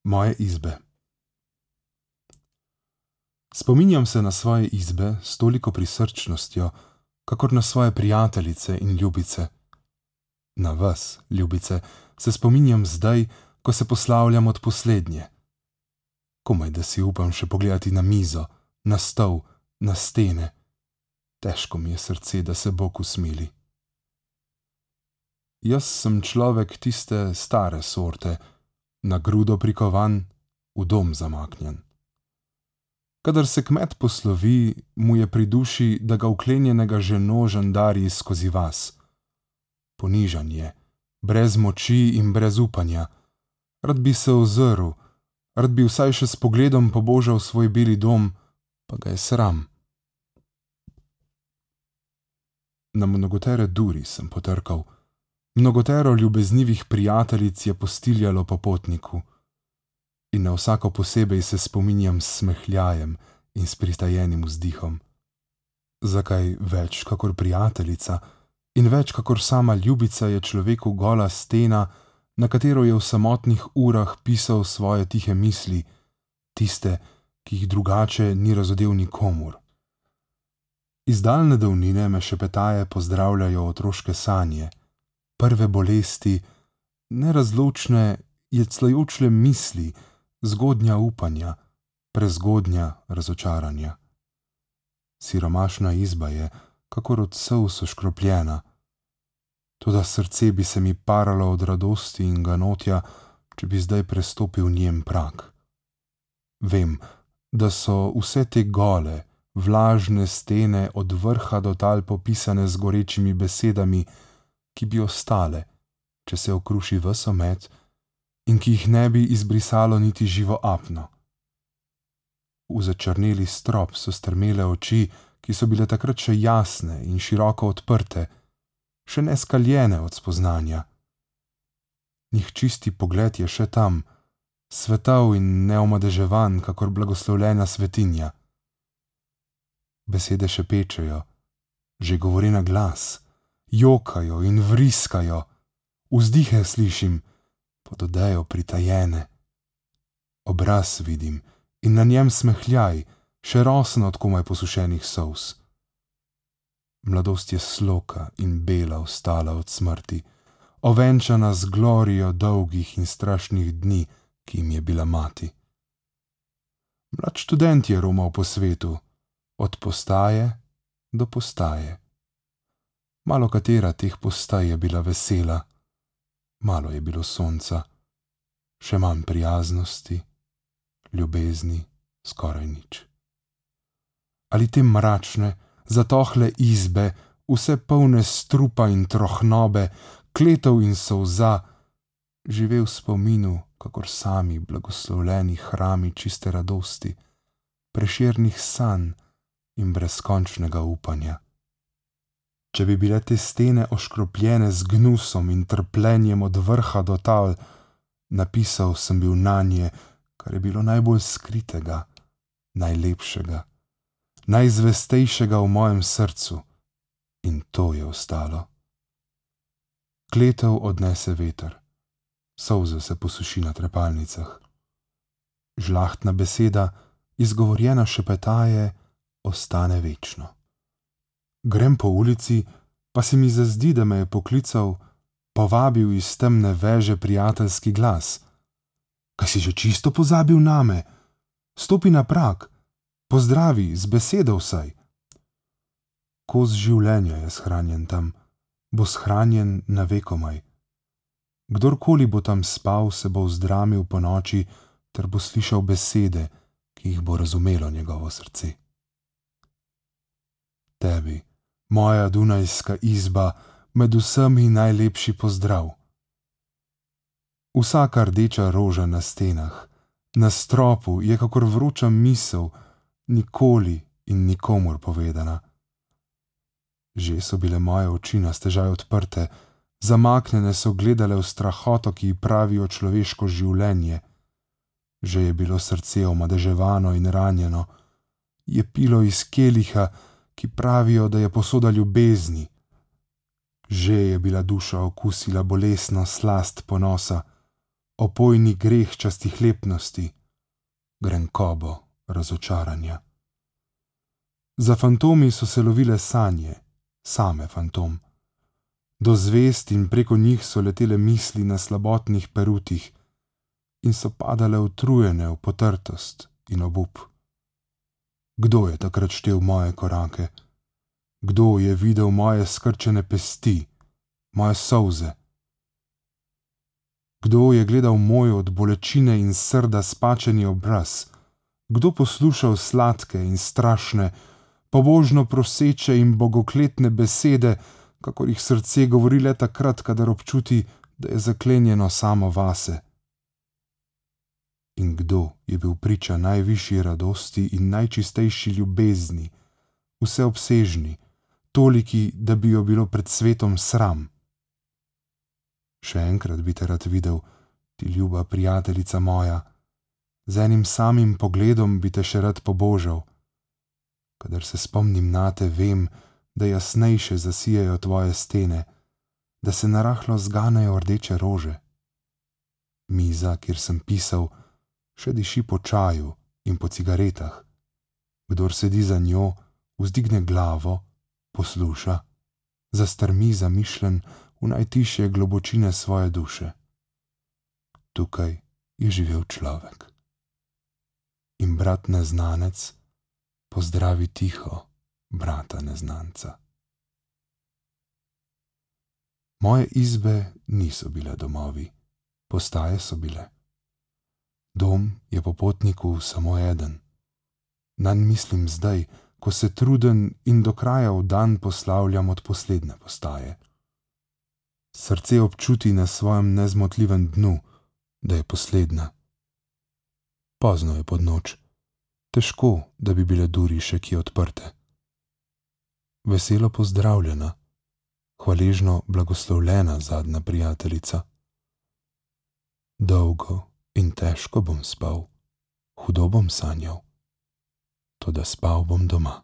Moje izbe. Spominjam se na svoje izbe s toliko prisrčnostjo, kakor na svoje prijateljice in ljubice. Na vas, ljubice, se spominjam zdaj, ko se poslavljam od poslednje. Komaj da si upam še pogledati na mizo, na stol, na stene. Težko mi je srce, da se Bog usmili. Jaz sem človek tiste stare sorte, na grudo prikovan, v dom zamaknjen. Kadar se kmet poslovi, mu je pri duši, da ga vklenjenega ženo žandari skozi vas. Ponižan je, brez moči in brez upanja. Rad bi se ozrl, rad bi vsaj še s pogledom pobožal svoj beli dom, pa ga je sram. Na mnogotere duri sem potrkal, mnogotero ljubeznivih prijateljic je postiljalo po potniku in na vsako posebej se spominjam s smehljajem in s pritajenim vzdihom. Zakaj več kakor prijateljica in več kakor sama ljubica je človeku gola stena, na katero je v samotnih urah pisal svoje tihe misli, tiste, ki jih drugače ni razodel nikomur. Iz daljne davnine me šepetaje pozdravljajo otroške sanje, prve bolesti, nerazločne, jeclajočle misli, zgodnja upanja, prezgodnja razočaranja. Siromašna izba je, kakor od solz oškropljena, toda srce bi se mi paralo od radosti in ganotja, če bi zdaj prestopil njen prag. Vem, da so vse te gole, vlažne stene od vrha do tal popisane z gorečimi besedami, ki bi ostale, če se okruši ves omet in ki jih ne bi izbrisalo niti živo apno. V začrneli strop so strmele oči, ki so bile takrat še jasne in široko odprte, še ne skaljene od spoznanja. Njih čisti pogled je še tam, svetav in neomadeževan, kakor blagoslovljena svetinja. Besede šepečejo, že govori na glas, jokajo in vriskajo, vzdihe slišim, pod odejo pritajene. Obraz vidim in na njem smehljaj, še rosen od komaj posušenih solz. Mladost je sloka in bela ostala od smrti, ovenčana z glorijo dolgih in strašnih dni, ki jim je bila mati. Mlad študent je romal po svetu, od postaje do postaje. Malo katera teh postaj je bila vesela, malo je bilo sonca, še manj prijaznosti, ljubezni, skoraj nič. Ali te mračne, zatohle izbe, vse polne strupa in trohnobe, kletov in solza, žive v spominu, kakor sami blagoslovljeni hrami čiste radosti, prešernih sanj in brezkončnega upanja. Če bi bile te stene oškropljene z gnusom in trpljenjem od vrha do tal, napisal sem bil nanje, kar je bilo najbolj skritega, najlepšega, najzvestejšega v mojem srcu, in to je ostalo. Kletev odnese veter, solze se posuši na trepalnicah. Žlahtna beseda, izgovorjena šepetaje, ostane večno. Grem po ulici, pa se mi zazdi, da me je poklical, povabil iz temne veže prijateljski glas. Kaj si že čisto pozabil name? Stopi na prag, pozdravi, z besedo vsaj. Kos življenja je shranjen tam, bo shranjen na vekomaj. Kdorkoli bo tam spal, se bo vzdramil po noči, ter bo slišal besede, ki jih bo razumelo njegovo srce. Tebi, moja dunajska izba, med vsemi najlepši pozdrav. Vsaka rdeča roža na stenah, na stropu je kakor vroča misel, nikoli in nikomur povedana. Že so bile moje oči na stežaj odprte, zamaknjene so gledale v strahoto, ki ji pravijo človeško življenje. Že je bilo srce omadeževano in ranjeno, je pilo iz keliha, ki pravijo, da je posoda ljubezni. Že je bila duša okusila bolesno slast ponosa, opojni greh častihlepnosti, grenkobo razočaranja. Za fantomi so se lovile sanje, same fantom. Do zvezd in preko njih so letele misli na slabotnih perutih in so padale utrujene v potrtost in obup. Kdo je takrat štel moje korake? Kdo je videl moje skrčene pesti, moje solze? Kdo je gledal moj od bolečine in srda spačeni obraz? Kdo poslušal sladke in strašne, pobožno proseče in bogokletne besede, kakor jih srce govori le takrat, kadar občuti, da je zaklenjeno samo vase? In kdo je bil priča najvišji radosti in najčistejši ljubezni, vseobsežni, toliki, da bi jo bilo pred svetom sram? Še enkrat bi te rad videl, ti ljuba prijateljica moja, z enim samim pogledom bi te še rad pobožal. Kadar se spomnim nate, vem, da jasnejše zasijajo tvoje stene, da se narahlo zganejo rdeče rože. Miza, kjer sem pisal, še diši po čaju in po cigaretah. Kdor sedi za njo, vzdigne glavo, posluša, zastrmi zamišljen v najtišje globočine svoje duše. Tukaj je živel človek. In brat neznanec pozdravi tiho brata neznanca. Moje izbe niso bile domovi, postaje so bile. Dom je popotniku samo eden. Nanj mislim zdaj, ko se truden in do kraja v dan poslavljam od poslednje postaje. Srce občuti na svojem nezmotljivem dnu, da je poslednja. Pozno je pod noč, težko, da bi bile duri še kje odprte. Veselo pozdravljena, hvaležno blagoslovljena zadnja prijateljica. Dolgo in težko bom spal, hudo bom sanjal, toda spal bom doma.